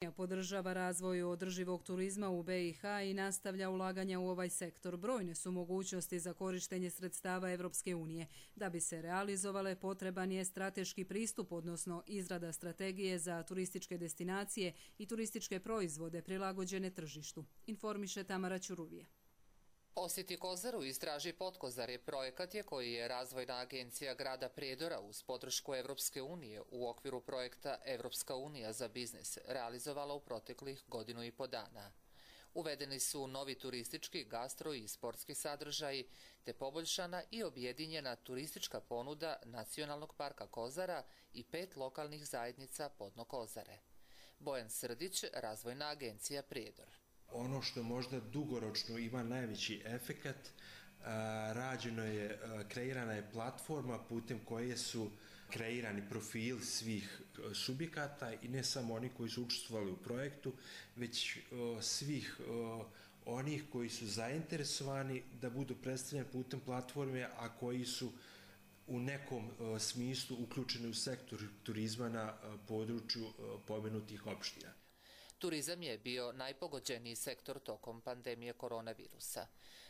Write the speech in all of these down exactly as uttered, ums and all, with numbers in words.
Podržava razvoj održivog turizma u B i H i nastavlja ulaganja u ovaj sektor. Brojne su mogućnosti za korištenje sredstava Evropske unije. Da bi se realizovale, potreban je strateški pristup, odnosno izrada strategije za turističke destinacije i turističke proizvode prilagođene tržištu, informiše Tamara Ćuruvija. Posjeti Kozaru i istraži Potkozar je projekat je koji je Razvojna agencija grada Prijedora uz podršku Evropske unije u okviru projekta Evropska unija za biznis realizovala u proteklih godinu i po dana. Uvedeni su novi turistički, gastro i sportski sadržaji, te poboljšana i objedinjena turistička ponuda Nacionalnog parka Kozara i pet lokalnih zajednica podno Kozare. Bojan Srdić, Razvojna agencija Prijedor. Ono što možda dugoročno ima najveći efekat, rađeno je, kreirana je platforma putem koje su kreirani profili svih subjekata i ne samo oni koji su učestvovali u projektu, već svih onih koji su zainteresovani da budu predstavljeni putem platforme, a koji su u nekom smislu uključeni u sektor turizma na području pomenutih opština. Turizam je bio najpogođeniji sektor tokom pandemije koronavirusa.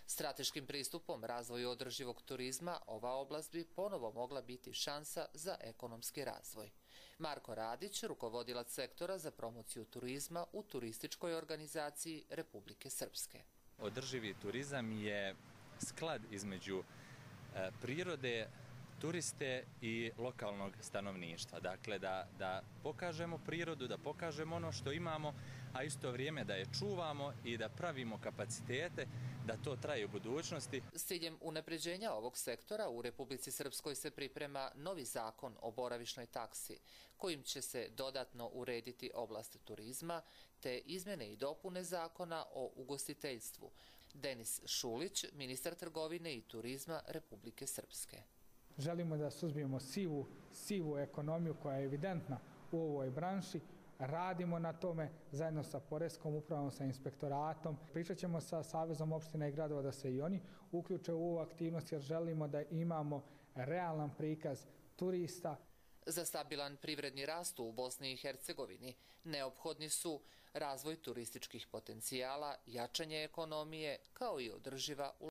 Strateškim pristupom razvoju održivog turizma ova oblast bi ponovo mogla biti šansa za ekonomski razvoj. Marko Radić, rukovodilac sektora za promociju turizma u turističkoj organizaciji Republike Srpske. Održivi turizam je sklad između prirode, turiste i lokalnog stanovništva. Dakle, da, da pokažemo prirodu, da pokažemo ono što imamo, a isto vrijeme da je čuvamo i da pravimo kapacitete da to traje u budućnosti. S ciljem unapređenja ovog sektora u Republici Srpskoj se priprema novi zakon o boravišnoj taksi, kojim će se dodatno urediti oblast turizma, te izmjene i dopune zakona o ugostiteljstvu. Denis Šulić, ministar trgovine i turizma Republike Srpske. Želimo da suzbijemo sivu, sivu ekonomiju koja je evidentna u ovoj branši. Radimo na tome zajedno sa Poreskom upravom, sa inspektoratom. Pričat ćemo sa Savezom opština i gradova da se i oni uključe u ovu aktivnost jer želimo da imamo realan prikaz turista. Za stabilan privredni rast u Bosni i Hercegovini neophodni su razvoj turističkih potencijala, jačanje ekonomije kao i održiva ulaganja.